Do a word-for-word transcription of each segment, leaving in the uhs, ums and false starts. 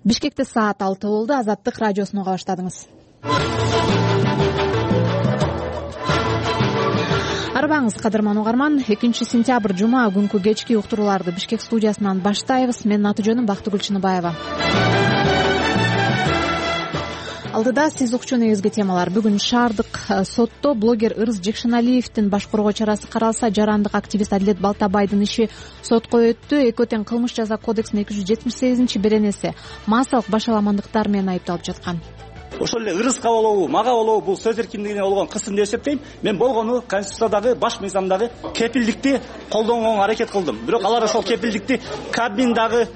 Бишкекте саат алты болду. Азаттык радиосун уга баштадыңыз. Арбаңыз, кадырман угарман. экинчи сентябрь жума күнкү кечки уктурууларды Бишкек студиясынан баштайбыз. Менин аты жөнүм Бактыгүл Чыныбаева. Алдыда сиз укчу негизги темалар. Бүгүн шаардык сотто блогер Ырыс Жекшеналиевдин баш коргоо чарасы каралса, жарандык активист Адилет Балтабайдын иши сотко өттү. Экөө тең кылмыш жаза кодексинин эки жүз жетимиш сегизинчи беренеси массалык башаламандыктар менен айыпталып жаткан. Ошол эле ырыска болобу, мага болобу бул сөз эркиндигине болгон кысым деп эсептейм. Мен болгону Конституциядагы баш мыйзамдагы кепилдикти колдонгонго аракет кылдым. Бирок алар ошол кепилдикти Кабмин дагы,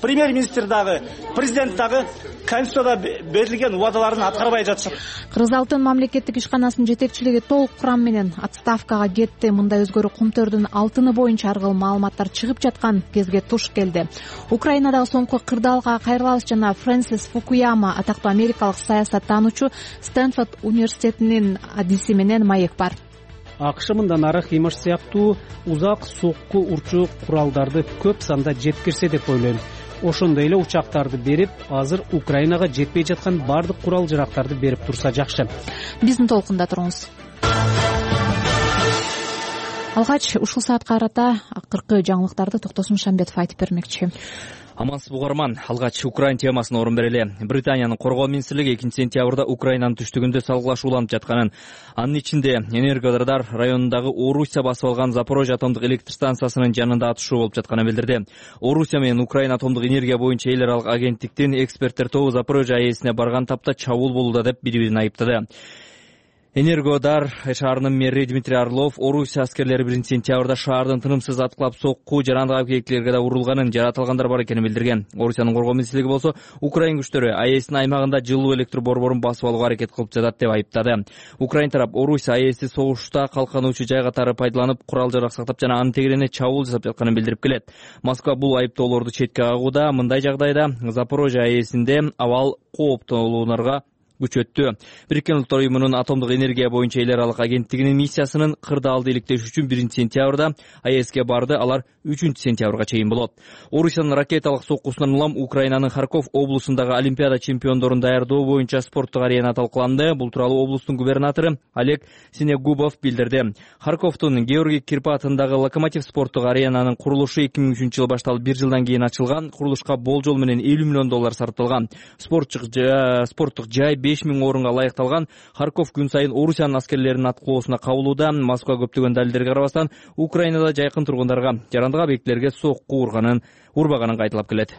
премьер-министр дагы, президент дагы Конституцияда берилген убадаларын аткарбай жатышат. Кыргыз Алтын мамлекеттик ишканасынын жетекчилиги толук курам менен отставкага кетти. Мындай өзгөрүү Кумтөрдүн алтыны боюнча ар кыл маалыматтар чыгып жаткан кезге туш келди. Украинадагы соңку кырдаалга кайрылабыз жана Фрэнсис Фукуяма атактуу америкалык саясаттануучу Стэнфорд университетинин адиси менен маек бар. АКШ мындан ары Химаш сыяктуу узак сокку урчу куралдарды көп санда жеткирсе деп ойлойм. Ошондой эле учактарды берип, азыр Украинага жетпей жаткан бардык курал жарактарды берип турса жакшы. Биздин толкунда туруңуз. Алгач ушул саатка карата акыркы жаңылыктарды Токтосун Шамбетов айтып бермекчи. Амансыз угарман, алгач Украин темасына орун берели. Британиянын коргоо министрлиги экинчи сентябрда Украинанын түштүгүндө салгылаш уланып жатканын, анын ичинде Энергодар районундагы Орусия басып алган Запорожье атомдук электр станциясынын жанында атышуу болуп жатканын билдирди. Орусия менен Украина атомдук энергия боюнча эл аралык агенттиктин эксперттер тобу Запорожье АЭСине барган тапта чабуул болууда деп бири-бирин айыптады. Энергодар шаарынын мэри Дмитрий Орлов Орусия аскерлери биринчи сентябрда шаардын тынымсыз аткылап сокку жарандык объектилерге да урулганын, жаратылгандар бар экенин билдирген. Орусиянын коргоо министрлиги болсо Украин күчтөрү АЭСтин аймагында жылуу электр борборун басып алууга аракет кылып жатат деп айыптады. Украин тарап Орусия АЭСти согушта калкануучу жай катары пайдаланып, курал жарак сактап жана анын тегерене чабуул жасап жатканын билдирип келет. Москва бул айыптоолорду четке кагууда. Мындай жагдайда Запорожье АЭСинде абал кооптолууларга күчөттү. Бириккен Улуттар уюмунун атомдук энергия боюнча эл аралык агенттигинин миссиясынын кырдаалды иликтеш үчүн биринчи сентябрда АЭСке барды. Алар үчүнчү сентябрга чейин болот. Орусиянын ракеталык соккусунан улам Украинанын Харьков облусундагы Олимпиада чемпиондорун даярдоо боюнча спорттук арена талкууланды. Бул тууралуу облустун губернатору Олег Синегубов билдирди. Харьковдун Георгий Кирпатындагы Локомотив спорттук аренанын курулушу эки миң үчүнчү жылы башталып, бир жылдан кийин ачылган. Курулушка болжол менен элүү миллион доллар сарпталган. Спорттук жай беш миң орунга ылайыкталган. Харьков күн сайын Орусиянын аскерлеринин аткылоосуна кабылууда. Москва көптөгөн далилдерге карабастан Украинада жайкын тургундарга жарандык объектилерге сокку урганын, урбаганын кайталап келет.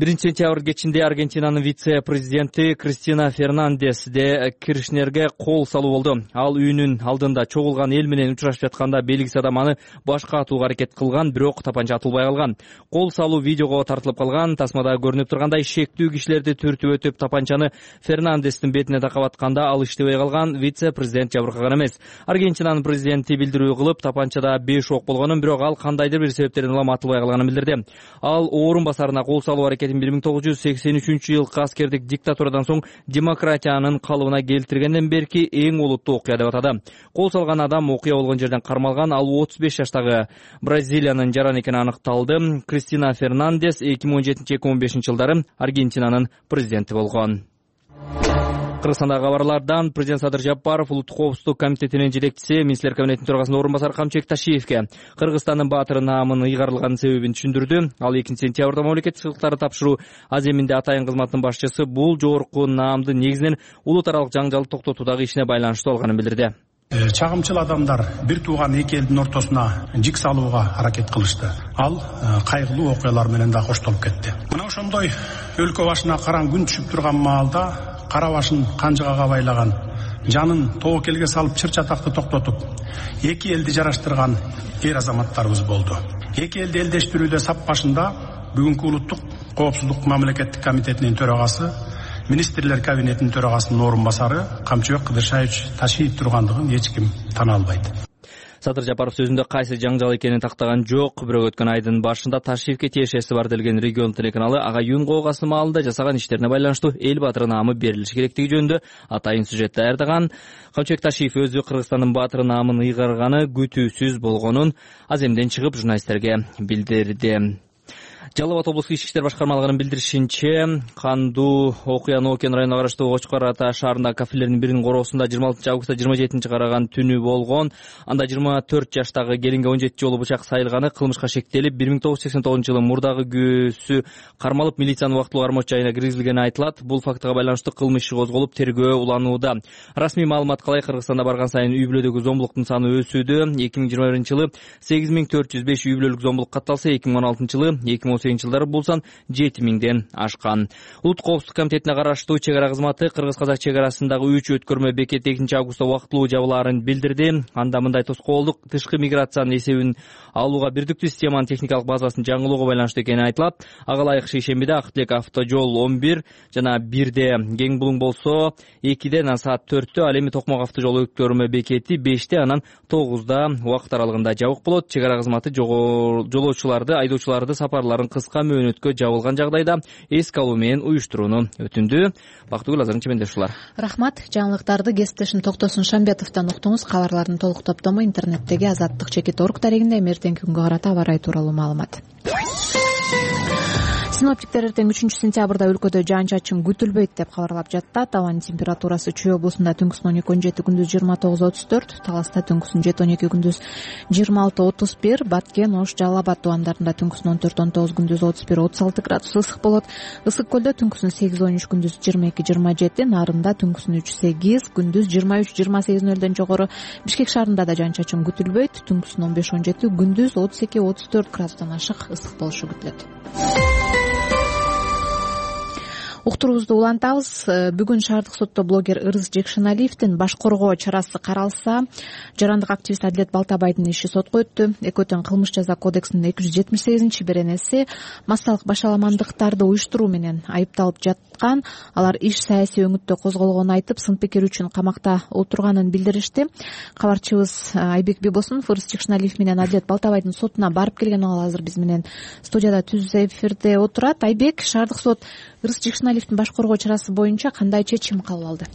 биринчи сентябрь кечинде Аргентинанын вице-президенти Кристина Фернандес де Киршнерге кол салуу болду. Ал үйүнүн алдында чогулган эл менен учурашып жатканда белгисиз адам аны башка атууга аракет кылган, бирок тапанча атылбай калган. Кол салуу видеого тартылып калган. Тасмада көрүнүп тургандай, шектүү кишилерди түртүп өтүп тапанчаны Фернандестин бетине такап атканда ал иштебей калган. Вице-президент жабыркаган эмес. Аргентинанын президенти билдирүү кылып, тапанчада беш ок болгонун, бирок ал кандайдыр бир себептерден улам атылбай калганын билдирди. Ал орун басарына кол салуу аракетин бир миң тогуз жүз сексен үчүнчү жылкы аскердик диктатурадан соң демократиянын калыбына келтиргенден берки эң олуттуу окуя деп атады. Кол салган адам окуя болгон жерден кармалган. Ал отуз беш жаштагы Бразилиянын жараны экени аныкталды. Кристина Фернандес эки миң он жетинчи — эки миң он бешинчи жылдары Аргентинанын президенти болгон. Кыргызстандагы кабарлардан президент Садыр Жапаров улуттук коопсуздук комитетинин жетекчиси, министрлер кабинетинин төрагасынын орун басары Камчыбек Ташиевке Кыргызстандын баатыры наамынын ыйгарылган себебин түшүндүрдү. Ал экинчи сентябрда мамлекеттик сыйлыктарды тапшыруу аземинде атайын кызматынын башчысы бул жогорку наамды негизинен улут аралык жаңжалды токтотуудагы ишине байланыштуу алганын билдирди. Чагымчыл адамдар бир тууган эки элдин ортосуна жик салууга аракет кылышты. Ал кайгылуу окуялар менен да коштолуп кетти. Мына ошондой өлкө башына караң күн түшүп турган маалда кара башын канжыгага байлаган, жанын тобокелге салып чыр чатакты токтотуп, эки элди жараштырган эр азаматтарыбыз болду. Эки элди элдештирүүдө сап башында бүгүнкү улуттук коопсуздук мамлекеттик комитетинин төрагасы, министрлер кабинетинин төрагасынын орун басары Камчыбек Кыдыршаевич Ташиев тургандыгын эч ким тана албайт. Садыр Жапаров сөзүндө кайсы жаңжал экенин тактаган жок, бирок өткөн айдын башында Ташиевке тиешеси бар делген регион телеканалы ага Юн Коогасы маалында жасаган иштерине байланыштуу эл баатыры наамы берилиши керектиги жөнүндө атайын сюжет даярдаган. Камчыбек Ташиев өзү Кыргызстандын баатыры наамын ыйгарганы күтүүсүз болгонун аземден чыгып журналисттерге билдирди. Жалал Абад облустук ички иштер башкармалыгынын билдиришинче, кандуу окуя Нокен районуна караштуу Кочкор Ата шаарындагы кафелердин биринин короосунда жыйырма алтынчы августта жыйырма жетинчи караган түнү болгон. Анда жыйырма төрт жаштагы келинге он жети жолу бычак сайылганы кылмышка шектелип, бир миң тогуз жүз сексен тогузунчу жылы мурдагы күйөөсү кармалып, милициянын убактылуу кармоочу жайына киргизилгени айтылат. Бул фактыга байланыштуу кылмыш иши козголуп, тергөө уланууда. Расмий маалымат калай? Кыргызстанда барган сайын үй бүлөдөгү зомбулуктун саны өсүүдө. эки миң жыйырма биринчи жылы сегиз миң төрт жүз беш үй бүлөлүк зомбулук катталса, эки миң он алтынчы жылы эки миң он сегизинчи жылдары бул сан жети миңден ашкан. Улуттук коопсуздук комитетине караштуу чек ара кызматы кыргыз-казак чек арасындагы үч өткөрмө бекет экинчи августта убактылуу жабылаарын билдирди. Анда мындай тоскоолдук тышкы миграциянын эсебин алууга бирдиктүү системанын техникалык базасын жаңылоого байланыштуу экени айтылат. Ага ылайык шейшембиде Ак Тилек автожол он бир жана бирде, Кең Булуң болсо экиде, анан саат төрттө, ал эми Токмок автожол өткөрмө бекети беште, анан тогузда убакыт аралыгында жабык болот. Чек ара кызматы жолоочуларды, айдоочуларды сапарларын кыска мөөнөткө жабылган жагдайда эске алуу менен уюштурууну өтүндү. Бактыгүл Азарын чемендеш ушулар. Рахмат. Жаңылыктарды кесиптешим Токтосун Шамбетовдон уктуңуз. Кабарлардын толук топтому интернеттеги азаттык чекит орг дарегинде. Эртеңки күнгө карата аба ырайы тууралуу маалымат. Синоптиктер эртең үчүнчү сентябрда өлкөдө жаан-чачын күтүлбөйт деп кабарлап жатат. Абанын температурасы Чүй облусунда түнкүсүн он эки он жети, күндүз жыйырма тогуз отуз төрт, Таласта түнкүсүн жети он эки, күндүз жыйырма алты отуз бир, Баткен, Ош, Жалал Абад тубандарында түнкүсүн он төрт он тогуз, күндүз отуз бир отуз алты градус ысык болот. Ысык көлдө түнкүсүн сегиз он үч, күндүз жыйырма эки жыйырма жети, Нарында түнкүсүн үч сегиз, күндүз жыйырма үч жыйырма сегиз нөлдөн жогору. Бишкек шаарында да жаан-чачын күтүлбөйт. Түнкүсүн он беш он жети, күндүз отуз эки отуз төрт градустан ашык ысык болушу күтүлөт. Уктуруубузду улантабыз. Бүгүн шаардык сотто блогер Ырыс Жекшеналиевдин баш коргоо чарасы каралса, жарандык активист Адилет Балтабайдын иши сотко өттү. Экөөтөн кылмыш жаза кодексинин эки жүз жетимиш сегизинчи беренеси массалык башаламандыктарды уюштуруу менен айыпталып жаткан. Алар иш саясий өңүттө козголгонун айтып, сын пикир үчүн камакта отурганын билдиришти. Кабарчыбыз Айбек Бибосунов Ырыс Жекшеналиев менен Адилет Балтабайдын сотуна барып келген. Ал азыр биз менен студияда түз эфирде отурат. Айбек, шаардык сот Ырыс Жекшеналиевдин баш коргоо чарасы боюнча кандай чечим кабыл алды?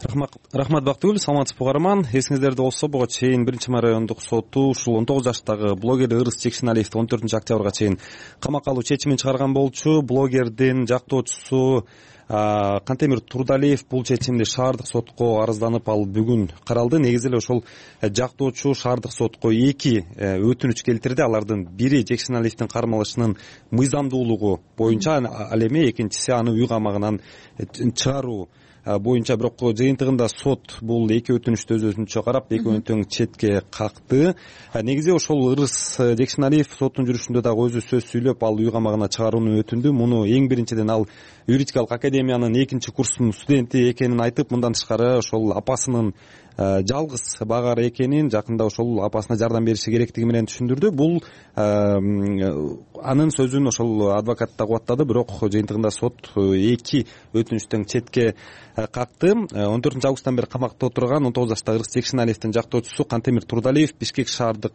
Рахмат, рахмат Бактыгүл. Саламатсызбы угарман? Эсиңиздерде болсо, буга чейин биринчи май райондук соту ушул он тогуз жаштагы блогер Ырыс Жекшеналиевди он төртүнчү октябрга чейин камакка алуу чечимин чыгарган болчу. Блогердин жактоочусу Кантемир Турдалиев бул чечимди шаардык сотко арызданып, ал бүгүн каралды. Негизи эле ошол жактоочу шаардык сотко эки өтүнүч келтирди. Алардын бири Жекшеналиевдин кармалышынын мыйзамдуулугу боюнча, ал эми экинчиси аны үй камагынан чыгаруу боюнча. Бирок жыйынтыгында сот бул эки өтүнүштү өз өзүнчө карап, экөөнү тең четке какты. Негизи ошол Ырыс Жекшеналиев соттун жүрүшүндө дагы өзү сөз сүйлөп, ал үй камагына чыгарууну өтүндү. Муну эң биринчиден ал юридикалык академиянын экинчи курсунун студенти экенин айтып, мындан тышкары ошол апасынын жалгыз багары экенин, жакында ошол апасына жардам бериши керектиги менен түшүндүрдү. Бул анын сөзүн ошол адвокат да кубаттады, бирок жыйынтыгында сот эки өтүнүчтөн четке какты. он төртүнчү августтан бери камакта отурган он тогуз жаштагы Ырыс Жекшеналиевдин жактоочусу Кантемир Турдалиев Бишкек шаардык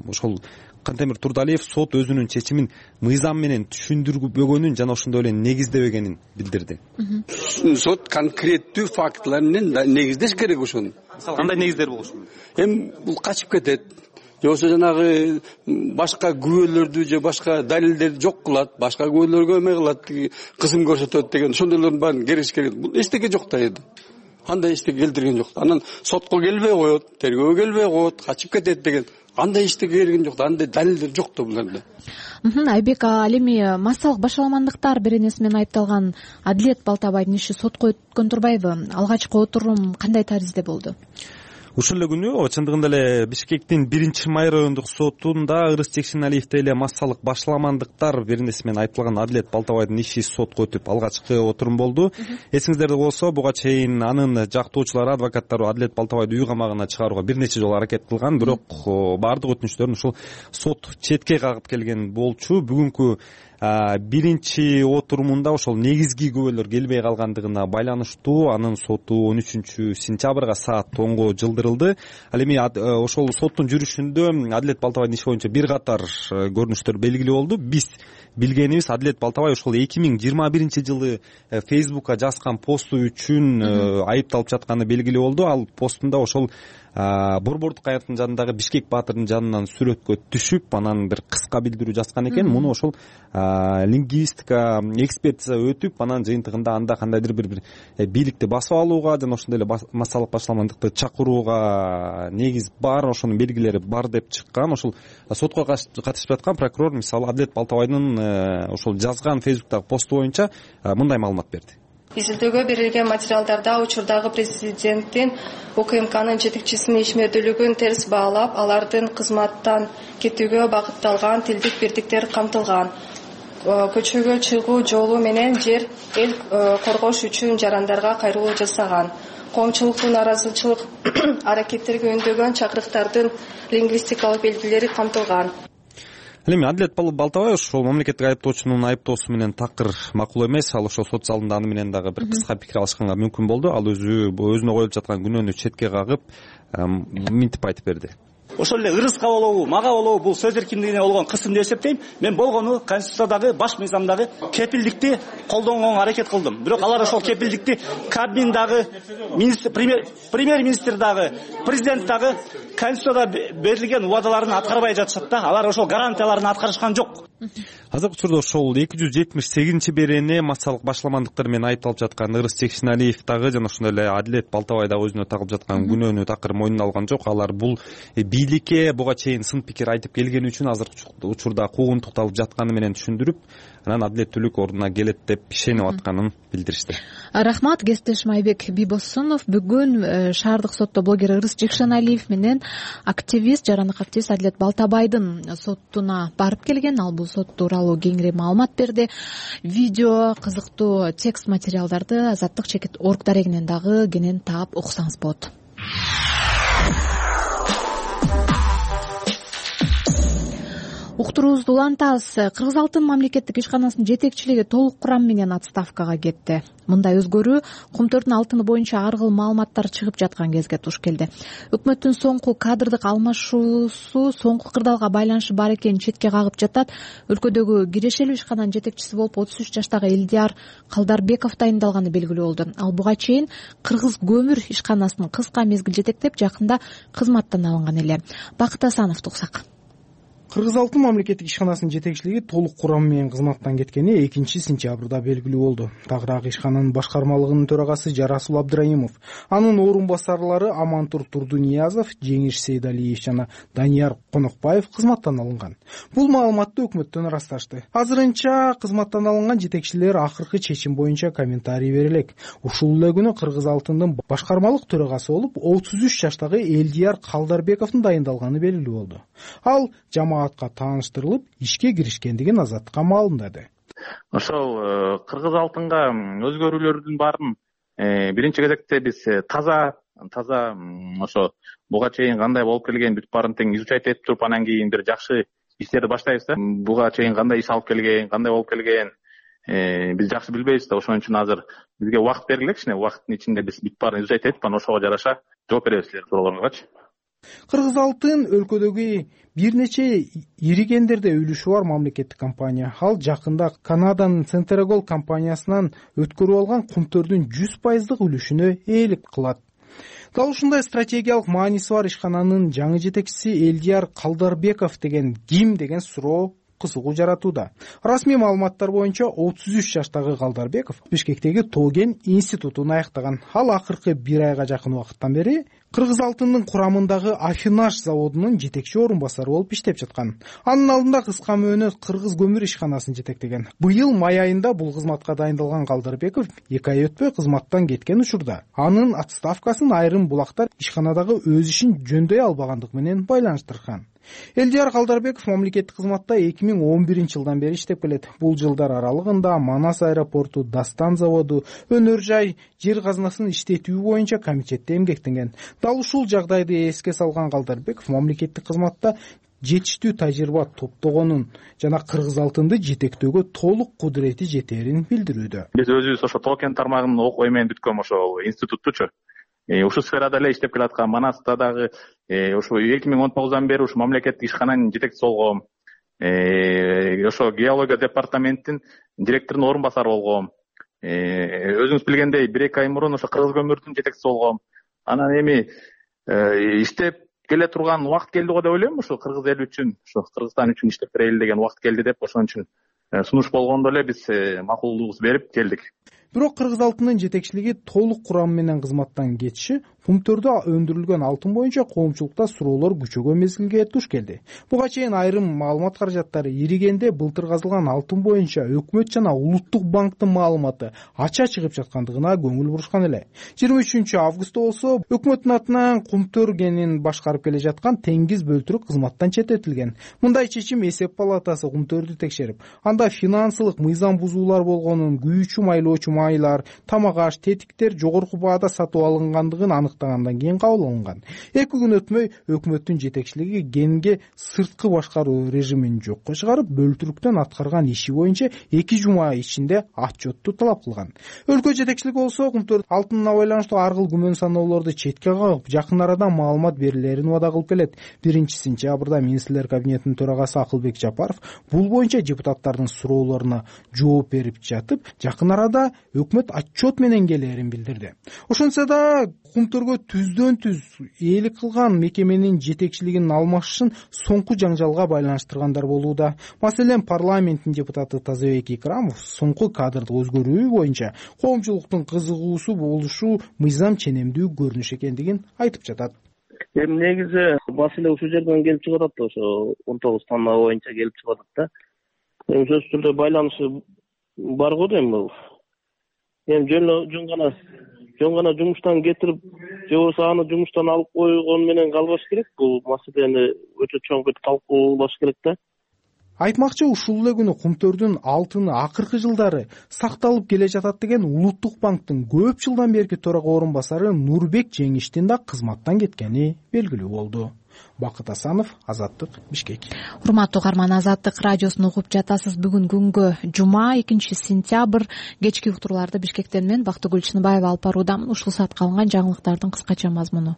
ошол Кантемир Турдалиев сот өзүнүн чечимин мыйзам менен түшүндүрбөгөнүн жана ошондой эле негиздебегенин билдирди. Сот конкреттүү фактылар менен негиздеш керек ошону. Кандай негиздер болушу мүмкүн? Эми бул качып кетет, же болбосо жанагы башка күбөлөрдү же башка далилдерди жок кылат, башка күбөлөргө эме кылат, кызым көрсөтөт деген ошондойлордун баарын кериш керек. Бул эчтеке жок да эди. Андай эчтеке келтирген жок. Анан сотко келбей коет, тергөөгө келбей коет, качып кетет деген андай эчтеке келген жок да, андай далилдер жок да буларда. Айбек, ал эми массалык башаламандыктар беренеси менен айыпталган Адилет Балтабайдын иши сотко өткөн турбайбы? Алгачкы отурум кандай таризде болду? Ушул эле күнү чындыгында эле Бишкектин биринчи май райондук сотунда Ырыс Жекшеналиевди эле массалык башаламандыктар беренеси менен айыпталган Адилет Балтабайдын иши сотко өтүп алгачкы отурум болду. Эсиңиздерде болсо, буга чейин анын жактоочулары, адвокаттары Адилет Балтабайды үй камагына чыгарууга бир нече жолу аракет кылган, бирок баардык өтүнүчтөрүн ушул сот четке кагып келген болчу. Бүгүнкү биринчи отурумунда ошол негизги күбөлөр келбей калгандыгына байланыштуу анын соту он үчүнчү сентябрга саат онго жылдырылды. Ал эми ошол соттун жүрүшүндө Адилет Балтабайдын иши боюнча бир катар көрүнүштөр белгилүү болду. Биз билгенибиз, Адилет Балтабай ошол эки миң жыйырма биринчи жылы Фейсбукка жазган посту үчүн айыпталып жатканы белгилүү болду. Ал постунда ошол Борбордук аярдын жанындагы Бишкек баатырдын жанынан сүрөткө түшүп, анан бир кыска билдирүү жазган экен. Муну ошол лингвистика экспертиза өтүп, анан жыйынтыгында анда кандайдыр бир бир бийликти басып алууга жана ошондой эле массалык башаламандыкты чакырууга негиз бар, ошонун белгилери бар деп чыккан. Ошол сотко катышып жаткан прокурор мисалы Адилет Балтабайдын ошол жазган фейсбуктагы посту боюнча мындай маалымат берди. Изилдөөгө берилген материалдарда учурдагы президенттин УКМКнын жетекчисинин ишмердүүлүгүн терс баалап, алардын кызматтан кетүүгө багытталган тилдик бирдиктер камтылган. Көчөгө чыгуу жолу менен жер эл коргош үчүн жарандарга кайрылуу жасаган. Коомчулуктун нааразычылык аракеттерге үндөгөн чакырыктардын лингвистикалык белгилери камтылган. Эми Адилет Балтабай ошол мамлекеттик айыптоочунун айыптоосу менен такыр макул эмес. Ал ошол сот залында аны менен дагы бир кыска пикир алышканга мүмкүн болду. Ал өзү өзүнө коюлуп жаткан күнөөнү четке кагып, мынтип айтып берди. Ошол эле ырыска болобу, мага болобу бул сөз эркиндигине болгон кысым деп эсептейм. Мен болгону Конституциядагы баш мыйзамдагы кепилдикти колдонгонго аракет кылдым. Бирок алар ошол кепилдикти Кабмин дагы, премьер-министр дагы, президент дагы Конституцияда берилген убадаларын аткарбай жатышат да. Алар ошол гарантияларын аткарышкан жок. Азыркы учурда ошол эки жүз жетимиш сегизинчи берене массалык башаламандыктар менен айыпталып жаткан Ырыс Чекшеналиев дагы жана ошондой эле Адилет Балтабай дагы өзүнө тагылып жаткан күнөөнү такыр мойнуна алган жок. Алар бул бийликке буга чейин сын пикир айтып келгени үчүн азыркы учурда куугунтукталып жатканы менен түшүндүрүп, анан адилеттүүлүк ордуна келет деп ишенип атканын билдиришти. Рахмат, кесиптешим Айбек Бибосунов. Бүгүн шаардык сотто блогер Ырыс Чекшеналиев менен активист, жарандык активист Адилет Балтабайдын сотуна барып келген. Ал бул сот тууралуу кеңири маалымат берди. Видео, кызыктуу текст материалдарды Азаттык чекит орг дарегинен дагы кенен таап уксаңыз болот. Уктуруубузду улантабыз. Кыргыз Алтын мамлекеттик ишканасынын жетекчилиги толук курам менен отставкага кетти. Мындай өзгөрүү Кумтөрдүн алтыны боюнча ар кыл маалыматтар чыгып жаткан кезге туш келди. Өкмөттүн соңку кадрдык алмашуусу соңку кырдаалга байланышы бар экенин четке кагып жатат. Өлкөдөгү кирешелүү ишкананын жетекчиси болуп отуз үч жаштагы Элдияр Калдарбеков дайындалганы белгилүү болду. Ал буга чейин Кыргыз көмүр ишканасын кыска мезгил жетектеп, жакында кызматтан алынган эле. Бакыт Асановду уксак. Кыргыз Алтын мамлекеттик ишканасынын жетекчилиги толук курам менен кызматтан кеткени экинчи сентябрда белгилүү болду. Тагыраак ишкананын башкармалыгынын төрагасы Жарасул Абдраимов, анын орун басарлары Амантур Турдуниязов, Жеңиш Сейдалиев жана Данияр Конокбаев кызматтан алынган. Бул маалыматты өкмөттөн ырасташты. Азырынча кызматтан алынган жетекчилер акыркы чечим боюнча комментарий бере элек. Ушул эле күнү Кыргыз Алтындын башкармалык төрагасы болуп отуз үч жаштагы Элдияр Калдарбековдун дайындалганы белгилүү болду. Ал жамаатка тааныштырылып, ишке киришкендигин Азаттыкка маалымдады. Ошол Кыргыз Алтынга өзгөрүүлөрдүн баарын биринчи кезекте биз таза таза ошо буга чейин кандай болуп келген бүт баарын тең изучать этип туруп, анан кийин бир жакшы иштерди баштайбыз да. Буга чейин кандай иш алып келген, кандай болуп келген биз жакшы билбейбиз да. Ошон үчүн азыр бизге убакыт бергиле, кичине убакыттын ичинде биз бүт баарын изучать этип, анан ошого жараша жооп беребиз силер суроолоруңарчы. Кыргыз Алтын өлкөдөгү бир нече ири кендерде үлүшү бар мамлекеттик компания. Ал жакында Канаданын Центрагол компаниясынан өткөрүп алган Кумтөрдүн жүз пайыздык үлүшүнө ээлик кылат. Дал ушундай стратегиялык мааниси бар ишкананын жаңы жетекчиси Элдияр Калдарбеков деген ким деген суроо кызыгуу жаратууда. Расмий маалыматтар боюнча отуз үч жаштагы Калдарбеков Бишкектеги Тоген институтун аяктаган. Ал акыркы бир айга жакын убакыттан бери Кыргыз Алтынын курамындагы Афинаш заводунун жетекчи орун басары болуп иштеп жаткан. Анын алдында кыска мөөнөт Кыргыз көмүр ишканасын жетектеген. Быйыл май айында бул кызматка дайындалган Калдарбеков эки ай өтпөй кызматтан кеткен учурда анын отставкасын айрым булактар ишканадагы өз ишин жөндөй албагандык менен байланыштырган. Элдияр Калдарбеков мамлекеттик кызматта эки миң он биринчи жылдан бери иштеп келет. Бул жылдар аралыгында Манас аэропорту, Дастан заводу, өнөр жай, жер казынасын иштетүү боюнча комитетте эмгектенген. Дал ушул жагдайды эске салган Калдарбеков мамлекеттик кызматта жетиштүү тажрыйба топтогонун жана Кыргыз Алтынды жетектөөгө толук кудурети жетерин билдирүүдө. Биз өзүбүз ошо Токен тармагынын окуу менен бүткөн ошо институттучу ушул сферада эле иштеп келаткан. Манаста дагы ошо эки миң он тогуздан бери ушу мамлекеттик ишкананын жетекчиси болгом. Ошо геология департаментинин директорунун орун басары болгом. Өзүңүз билгендей бир эки ай мурун ошо Кыргыз көмүрдүн жетекчиси болгом. Анан эми иштеп келе турган убакыт келди го деп ойлойм. Ушу кыргыз эли үчүн, ушу Кыргызстан үчүн иштеп берели деген убакыт келди деп, ошон үчүн сунуш болгондо эле биз макулдугубузду берип келдик. Бирок Кыргыз алтынын жетекчилиги толук курамы менен кызматтан кетиши пункттөрдө өндүрүлгөн алтын боюнча коомчулукта суроолор күчөгөн мезгилге туш келди. Буга чейин айрым маалымат каражаттары иригенде былтыр казылган алтын боюнча өкмөт жана улуттук банктын маалыматы ача чыгып жаткандыгына көңүл бурушкан эле. жыйырма үчүнчү августта болсо өкмөттүн атынан Кумтөр кенин башкарып келе жаткан Теңиз бөлтүрүк кызматтан четтетилген. Мындай чечим эсеп палатасы Кумтөрдү текшерип, анда финансылык мыйзам бузуулар болгонун, күйүүчү майлоочу майлар, тамак аш, тетиктер жогорку баада сатып алынгандыгын аныктагандан кийин кабыл алынган. Эки күн өтмөй өкмөттүн жетекчилиги Генге сырткы башкаруу режимин жокко чыгарып, бөлтүрүктөн аткарган иши боюнча эки жума ичинде отчетту талап кылган. Өлкө жетекчилиги болсо Кумтөр алтынына байланыштуу ар кыл күмөн саноолорду четке кагып, жакын арада маалымат берилерин убада кылып келет. биринчи сентябрда министрлер кабинетинин төрагасы Акылбек Жапаров бул боюнча депутаттардын суроолоруна жооп берип жатып, жакын арада өкмөт отчет менен келерин билдирди. Ошентсе да Кумтөргө түздөн түз ээлик кылган мекеменин жетекчилигин алмашышын соңку жаңжалга байланыштыргандар болууда. Маселен, парламенттин депутаты Тазабек Икрамов соңку кадрдык өзгөрүү боюнча коомчулуктун кызыгуусу болушу мыйзам ченемдүү көрүнүш экендигин айтып жатат. Эми негизи маселе ушул жерден келип чыгып атат, ошо он тогуз тонна боюнча келип чыгып атат да. Эми сөзсүз түрдө байланышы бар го дейм бул. Эми жөн жөн гана жөн гана жумуштан кетирип, же болбосо аны жумуштан алып койгон менен калбаш керек. Бул маселени өтө чоңкуйт талкуулаш керек да. Айтмакчы, ушул эле күнү Кумтөрдүн алтыны акыркы жылдары сакталып келе жатат деген Улуттук банктын көп жылдан берки төрага орун басары Нурбек Жеңиштин да кызматтан кеткени белгилүү болду. Бакыт Асанов, Азаттык, Бишкек. Урматтуу угарман, Азаттык радиосун угуп жатасыз. Бүгүн күнгө жума, экинчи сентябрь. Кечки уктурууларды Бишкектен мен Бактыгүл Чыныбаева алып баруудамын. Ушул саатка алынган жаңылыктардын кыскача мазмуну.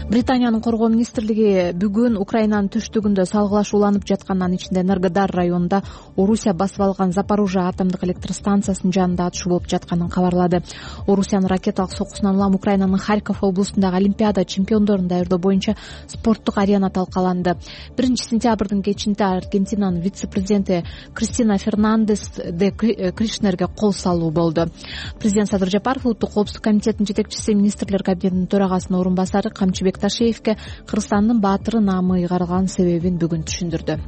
Британиянын коргоо министрлиги бүгүн Украинанын түштүгүндө салгылашууланып жаткан, анын ичинде Энергодар районунда Орусия басып алган Запорожье атомдук электр станциясынын жанында атышуу болуп жатканын кабарлады. Орусиянын ракеталык соккусунан улам Украинанын Харьков облусундагы Олимпиада чемпиондорун даярдоо боюнча спорттук арена талкаланды. биринчи сентябрдын кечинде Аргентинанын вице-президенти Кристина Фернандес де Кришнерге кол салуу болду. Президент Садыр Жапаров Улуттук коопсуздук комитетинин жетекчиси, министрлер кабинетинин төрагасынын орун басары Камчыбек Ташеевке Кыргызстандын баатыры наамы ыйгарылган себебин бүгүн түшүндүрдү.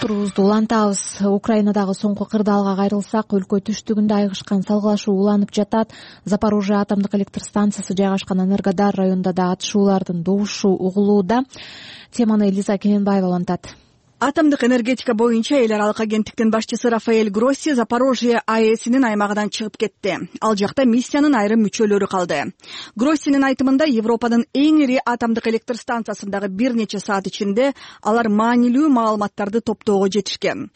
Турубузду улантабыз. Украинадагы соңку кырдаалга кайрылсак, өлкө түштүгүндө айгышкан салгылашуу уланып жатат. Запорожье атомдук электр станциясы жайгашкан Энергодар районунда да атышуулардын добушу угулууда. Теманы Элиза Кененбаева улантат. Атомдук энергетика боюнча эл аралык агенттиктин башчысы Рафаэль Гросси Запорожье АЭСинин аймагынан чыгып кетти. Ал жакта миссиянын айрым мүчөлөрү калды. Гроссинин айтымында Европанын эң ири атомдук электр станциясындагы бир нече саат ичинде алар маанилүү маалыматтарды топтоого жетишкен.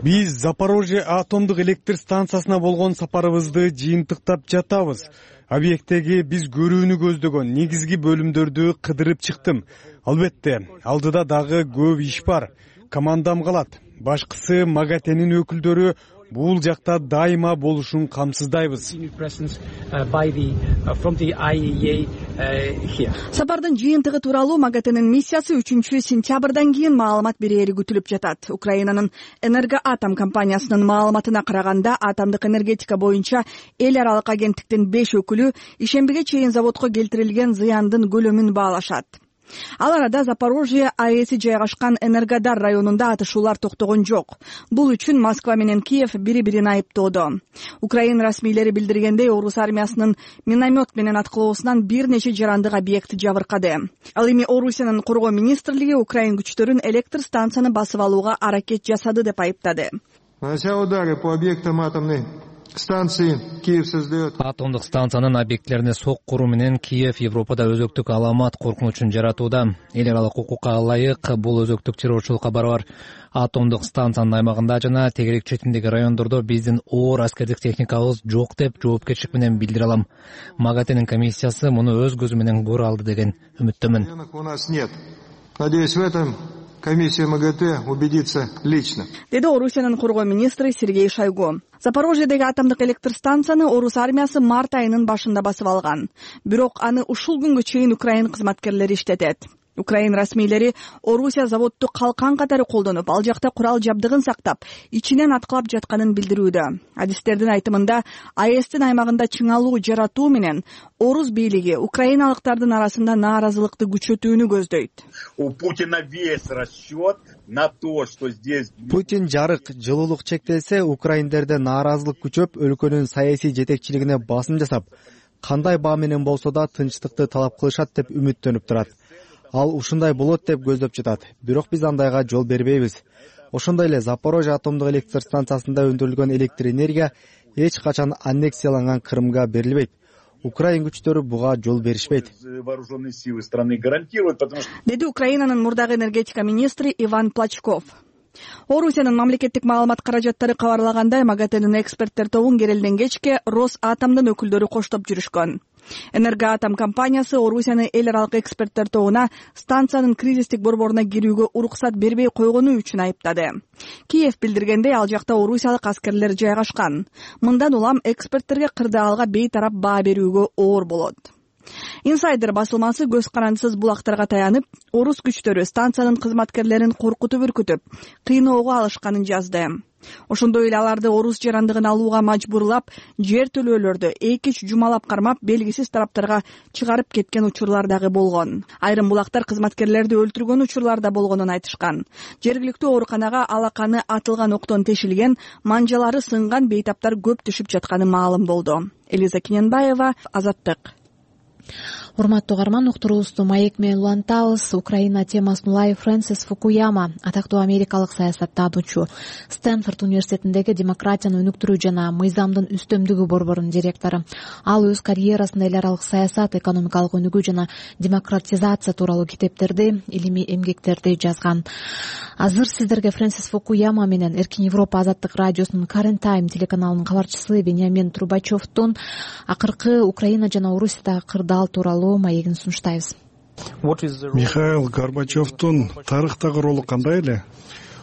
Биз Запорожье атомдук электр станциясына болгон сапарыбызды жыйынтыктап жатабыз. Объекттеги биз көрүүнү көздөгөн негизги бөлүмдөрдү кыдырып чыктым. Албетте, алдыда дагы көп иш бар. Командам калат. Башкысы МАГАТЭнин өкүлдөрү бул жакта дайыма болушун камсыздайбыз. Сапардын жыйынтыгы тууралуу МАГАТЭнин миссиясы үчүнчү сентябрдан кийин маалымат берери күтүлүп жатат. Украинанын Энергоатом компаниясынын маалыматына караганда, атомдук энергетика боюнча эл аралык агенттиктин беш өкүлү ишембиге чейин заводко келтирилген зыяндын көлөмүн баалашат. Ал арада Запорожье АЭСи жайгашкан Энергодар районунда атышуулар токтогон жок. Бул үчүн Москва менен Киев бири-бирин айыптоодо. Украина расмийлери билдиргендей, Орус армиясынын миномет менен аткылоосунан бир нече жарандык объект жабыркады. Ал эми Орусиянын коргоо министрлиги Украин күчтөрүн электр станцияны басып алууга аракет жасады деп айыптады. Нанося удары по объектам атомной станции, Киев создает. Атомдук станциянын объектилерине сок куруу менен Киев Европада өзөктүк аламат коркунучун жаратууда. Эл аралык укукка ылайык бул өзөктүк террорчулукка барабар. Атомдук станциянын аймагында жана тегерек четиндеги райондордо биздин оор аскердик техникабыз жок деп жоопкерчилик менен билдире алам. МАГАТЭнин комиссиясы муну өз көзү менен көрө алды деген үмүттөмүн. У нас нет. Надеюсь, в этом комиссия МАГАТЭ убедится лично, деди Орусиянын коргоо министри Сергей Шойгу. Запорожьедеги атомдук электр станцияны орус армиясы март айынын башында басып алган. Бирок аны ушул күнгө чейин Украина кызматкерлери иштетет. Украина расмийлери Орусия заводду калкан катары колдонуп, ал жакта курал жабдыгын сактап, ичинен аткылап жатканын билдирүүдө. Адистердин айтымында, АЭСтин аймагында чыңалуу жаратуу менен орус бийлиги украиналыктардын арасында нааразылыкты күчөтүүнү көздөйт. У Путина весь расчет на то, что здесь Путин жарык, жылуулук чектелсе, украиндерде нааразылык күчөп, өлкөнүн саясий жетекчилигине басым жасап, кандай баа менен болсо да тынчтыкты талап кылышат деп үмүттөнүп турат. Ал ушундай болот деп көздөп жатат. Бирок биз андайга жол бербейбиз. Ошондой эле Запорожье атомдук электр станциясында өндүрүлгөн электр энергия эч качан аннексияланган Крымга берилбейт. Украин күчтөрү буга жол беришпейт. Деди Украинанын мурдагы энергетика министри Иван Плачков. Орусиянын мамлекеттик маалымат каражаттары кабарлагандай, МАГАТЭнин эксперттер тобун керелден кечке Росатомдун өкүлдөрү коштоп жүрүшкөн. Энергоатом компаниясы Орусияны эл аралык эксперттер тобуна станциянын кризистик борборуна кирүүгө уруксат бербей койгону үчүн айыптады. Киев билдиргендей, ал жакта орусиялык аскерлер жайгашкан. Мындан улам эксперттерге кырдаалга бейтарап баа берүүгө оор болот. Инсайдер басылмасы көз карандысыз булактарга таянып, орус күчтөрү станциянын кызматкерлерин коркутуп үркүтүп, кыйноого алышканын жазды. Ошондой эле аларды орус жарандыгын алууга мажбурлап, жер төлөөлөрдү эки-үч жумалап кармап, белгисиз тараптарга чыгарып кеткен учурлар дагы болгон. Айрым булактар кызматкерлерди өлтүргөн учурлар да болгонун айтышкан. Жергиликтүү ооруканага алаканы атылган октон тешилген, манжалары сынган бейтаптар көп түшүп жатканы маалым болду. Элиза Кененбаева, Азаттык. Урматтуу угарман, уктуруубузду маек менен улантабыз. Украина темасын улай Фрэнсис Фукуяма, атактуу америкалык саясаттануучу, Стэнфорд университетиндеги демократияны өнүктүрүү жана мыйзамдын үстөмдүгү борборунун директору. Ал өз карьерасында эл аралык саясат, экономикалык өнүгүү жана демократизация тууралуу китептерди, илимий эмгектерди жазган. Азыр сиздерге Фрэнсис Фукуяма менен Эркин Европа азаттык радиосунун Current Time телеканалынын кабарчысы Беньямин Трубачевдун акыркы Украина жана Орусиядагы кырдаал тууралуу маегин сунуштайбыз. Михаил Горбачевдун тарыхтагы ролу кандай эле?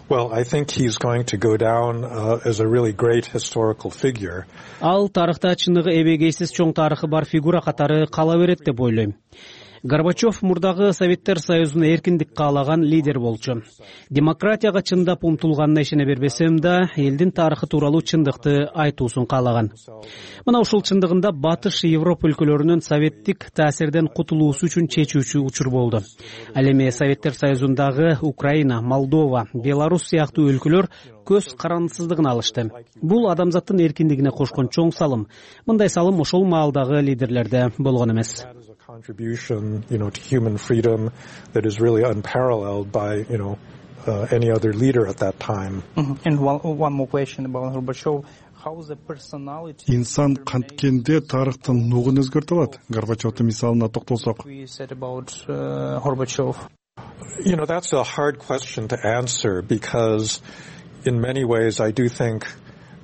Well, I think he's going to go down uh, as a really great historical figure. Ал тарыхта чыныгы эбегейсиз чоң тарыхы бар фигура катары кала берет деп ойлойм. Горбачев мурдагы Советтер Союзуна эркиндик каалаган лидер болчу. Демократияга чындап умтулганына ишене бербесем да, элдин тарыхы тууралуу чындыкты айтуусун каалаган. Мына ушул чындыгында Батыш Европа өлкөлөрүнүн советтик таасирден кутулуусу үчүн чечүүчү учур болду. Ал эми Советтер Союзундагы Украина, Молдова, Беларусь сыяктуу өлкөлөр көз карандысыздыгын алышты. Бул адамзаттын эркиндигине кошкон чоң салым. Мындай салым ошол маалдагы лидерлерде болгон эмес. Contribution, you know, to human freedom that is really unparalleled by, you know, uh, any other leader at that time. Mm-hmm. And one, one more question about Gorbachev. How is the personality? Инсан канткенде тарыхтын нугун өзгөртө алат. Горбачевдун мисалына токтолсок. We said about uh, Gorbachev. You know, that's a hard question to answer because in many ways I do think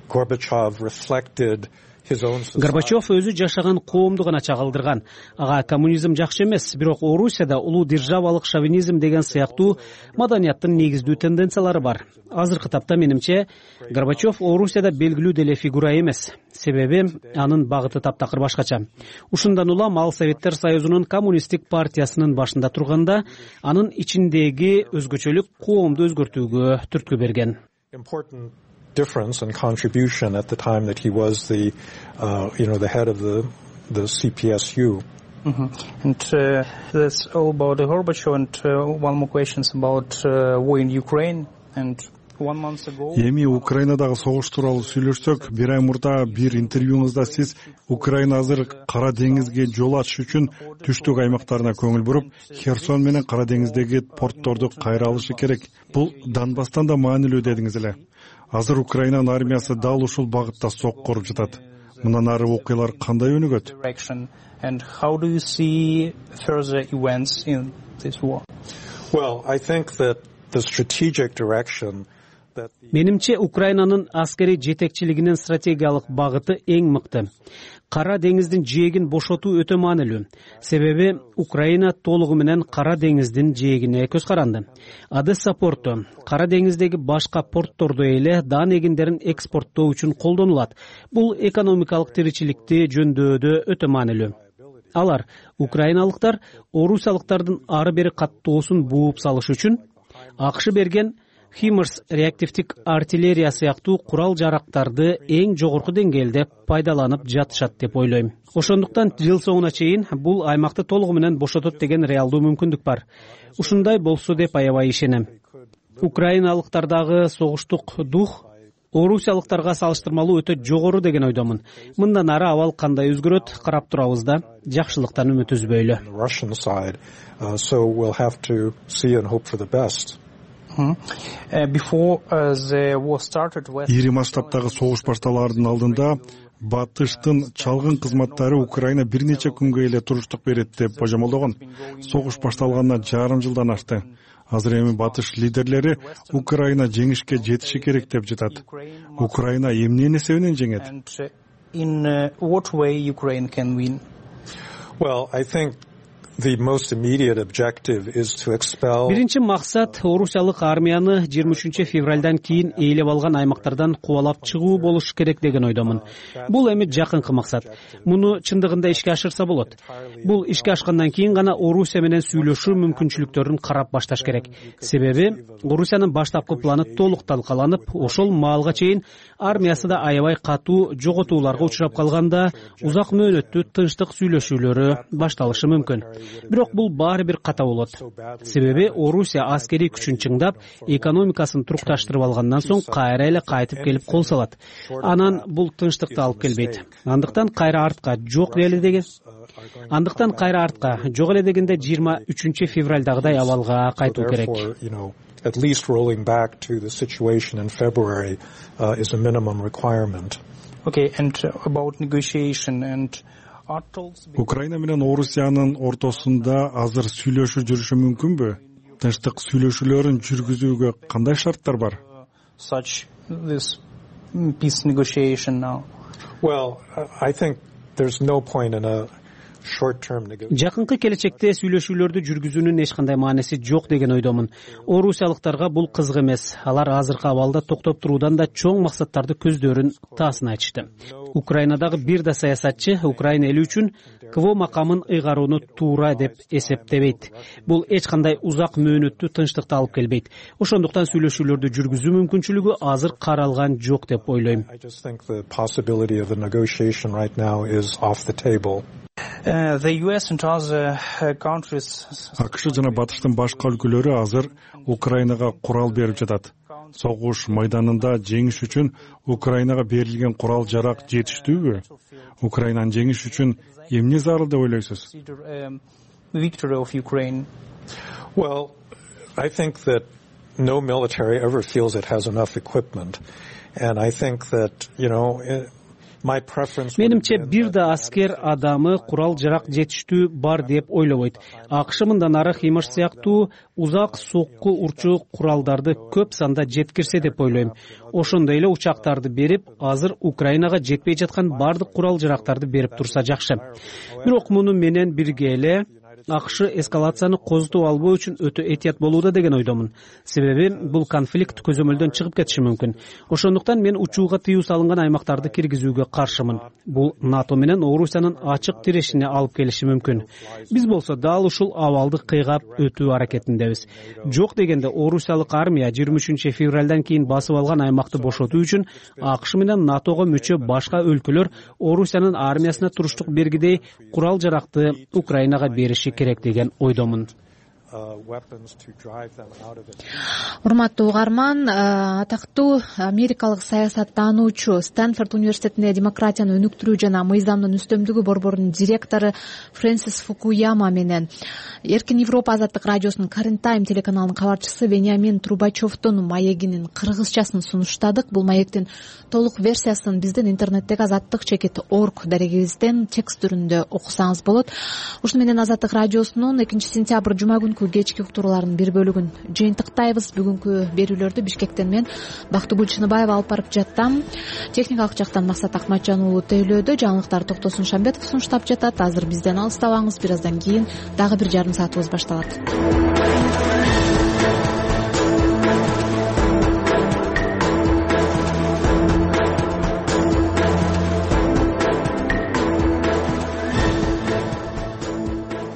Gorbachev reflected Горбачев өзү жашаган коомду гана чагылдырган. Ага коммунизм жакшы эмес, бирок Орусияда улуу державалык шовинизм деген сыяктуу маданияттын негиздүү тенденциялары бар. Азыркы тапта менимче Горбачев Орусияда белгилүү деле фигура эмес. Себеби анын багыты таптакыр башкача. Ушундан улам ал Советтер Союзунун коммунисттик партиясынын башында турганда анын ичиндеги өзгөчөлүк коомду өзгөртүүгө түрткү берген. Difference and contribution at the time that he was the, uh, you know, the head of the the C P S U. Mm-hmm. And uh, that's all about the Gorbachev. And uh, one more question about uh, war in Ukraine. And one month ago. Эми Украинадагы согуш тууралуу сүйлөшсөк, бир ай мурда бир интервьюңузда сиз Украина азыр Кара деңизге жол ачыш үчүн түштүк аймактарына көңүл буруп, Херсон менен Кара деңиздеги портторду кайра алышы керек. Бул Донбасстан да маанилүү дедиңиз эле. Азыр Украинанын армиясы дал ушул багытта сок коруп жатат. Мындан ары окуялар кандай өнүгөт? And how do you see further events in this war? Well, I think that the strategic direction менимче Украинанын аскерий жетекчилигинин стратегиялык багыты эң мыкты. Кара деңиздин жээгин бошотуу өтө маанилүү. Себеби Украина толугу менен Кара деңиздин жээгине көз каранды. Одесса порту Кара деңиздеги башка порттордой эле дан эгиндерин экспорттоо үчүн колдонулат. Бул экономикалык тиричиликти жөндөодө өтө маанилүү. Алар украиналыктар орусиялыктардын ары бери каттоосун бууп салыш үчүн АКШ берген Химарс реактивдик артиллерия сыяктуу курал жарактарды эң жогорку деңгээлде пайдаланып жатышат деп ойлойм. Ошондуктан жыл соңуна чейин бул аймакты толугу менен бошотот деген реалдуу мүмкүндүк бар. Ушундай болсо деп аябай ишенем. Украиналыктардагы согуштук дух орусиялыктарга салыштырмалуу өтө жогору деген ойдомун. Мындан ары абал кандай өзгөрөт карап турабыз да, жакшылыктан үмүт үзбөйлү. Ири масштабтагы согуш башталаардын алдында батыштын чалгын кызматтары Украина бир нече күнгө эле туруштук берет деп божомолдогон. Согуш башталганына жарым жылдан ашты. Азыр эми батыш лидерлери Украина жеңишке жетиши керек деп жатат. Украина эмненин эсебинен жеңет? Биринчи максат орусиялык армияны жыйырма үчүнчү февралдан кийин ээлеп алган аймактардан кубалап чыгуу болуш керек деген ойдомун. Бул эми жакынкы максат. Муну чындыгында ишке ашырса болот. Бул ишке ашкандан кийин гана Орусия менен сүйлөшүү мүмкүнчүлүктөрүн карап башташ керек. Себеби Орусиянын баштапкы планы толук талкаланып, ошол маалга чейин армиясы да аябай катуу жоготууларга учурап калганда узак мөөнөттүү тынчтык сүйлөшүүлөрү башталышы мүмкүн. Бирок бул баары бир ката болот. Себеби Орусия аскерий күчүн чыңдап, экономикасын турукташтырып алгандан соң кайра эле кайтып келип кол салат. Анан бул тынчтыкты алып келбейт. Андыктан кайра артка жок эле деген. Андыктан кайра артка жок эле дегенде жыйырма үчүнчү февралдагыдай абалга кайтуу керек. At least rolling back to the situation in February uh, is a minimum requirement. Okay, and about negotiation and Украина менен Орусиянын ортосунда азыр сүйлөшүү жүрүшү мүмкүнбү? Тынчтык сүйлөшүүлөрүн жүргүзүүгө кандай шарттар бар? Such this peace negotiation now. Well, I think there's no point in a Жакынкы келечекте сүйлөшүүлөрдү жүргүзүүнүн эч кандай мааниси жок деген ойдомун. Орусиялыктарга бул кызык эмес. Алар азыркы абалда токтоп туруудан да чоң максаттарды көздөрүн таасын айтышты. Украинадагы бир да саясатчы Украина эли үчүн КВО макамын ыйгарууну туура деп эсептебейт. Бул эч кандай узак мөөнөттүү тынчтыкты алып келбейт. Ошондуктан сүйлөшүүлөрдү жүргүзүү мүмкүнчүлүгү азыр каралган жок деп ойлойм. АКШ жана батыштын башка өлкөлөрү азыр Украинага курал берип жатат. Согуш майданында жеңиш үчүн Украинага берилген курал жарак жетиштүүбү? Украинанын жеңиш үчүн эмне зарыл деп ойлойсуз? Victory of Ukraine. Well, I think that no military ever feels it has enough equipment, and I think that, you know, Менимче бир да аскер адамы курал жарак жетиштүү бар деп ойлобойт. АКШ мындан ары Химарс сыяктуу узак сокку урчу куралдарды көп санда жеткирсе деп ойлойм. Ошондой эле учактарды берип, азыр Украинага жетпей жаткан бардык курал жарактарды берип турса жакшы. Бирок муну менен бирге эле АКШ эскалацияны козутуп албоо үчүн өтө этият болууда деген ойдомун. Себеби бул конфликт көзөмөлдөн чыгып кетиши мүмкүн. Ошондуктан мен учууга тыюу салынган аймактарды киргизүүгө каршымын. Бул НАТО менен Орусиянын ачык тирешине алып келиши мүмкүн. Биз болсо дал ушул абалды кыйгап өтүү аракетиндебиз. Жок дегенде Орусиялык армия жыйырма үчүнчү февралдан кийин басып алган аймакты бошотуу үчүн АКШ менен НАТОго мүчө башка өлкөлөр Орусиянын армиясына туруштук бергидей курал жаракты Украинага бериши керек деген ойдомун. Урматтуу угарман, атактуу америкалык саясаттануучу, Стэнфорд университетинде демократияны өнүктүрүү жана мыйзамдын үстөмдүгү борборунун директору Фрэнсис Фукуяма менен Эркин Европа азаттык радиосунун Карин Тайм телеканалынын кабарчысы Вениамин Трубачевдун маегинин кыргызчасын сунуштадык. Бул маектин толук версиясын биздин интернеттеги азаттык чекит точка орг дарегибизден текст түрүндө окусаңыз болот. Ушуну менен азаттык радиосунун экинчи сентябрь жума күнкү бүгүнкү кечки уктуруулардын бир бөлүгүн жыйынтыктайбыз. Бүгүнкү берүүлөрдү Бишкектен мен Бактыгүл Чыныбаева алып барып жаттам. Техникалык жактан Максат Акматжан уулу тейлөөдө, жаңылыктар Токтосун Шамбетов сунуштап жатат. Азыр бизден алыстабаңыз, бир аздан кийин дагы бир жарым саатыбыз башталат.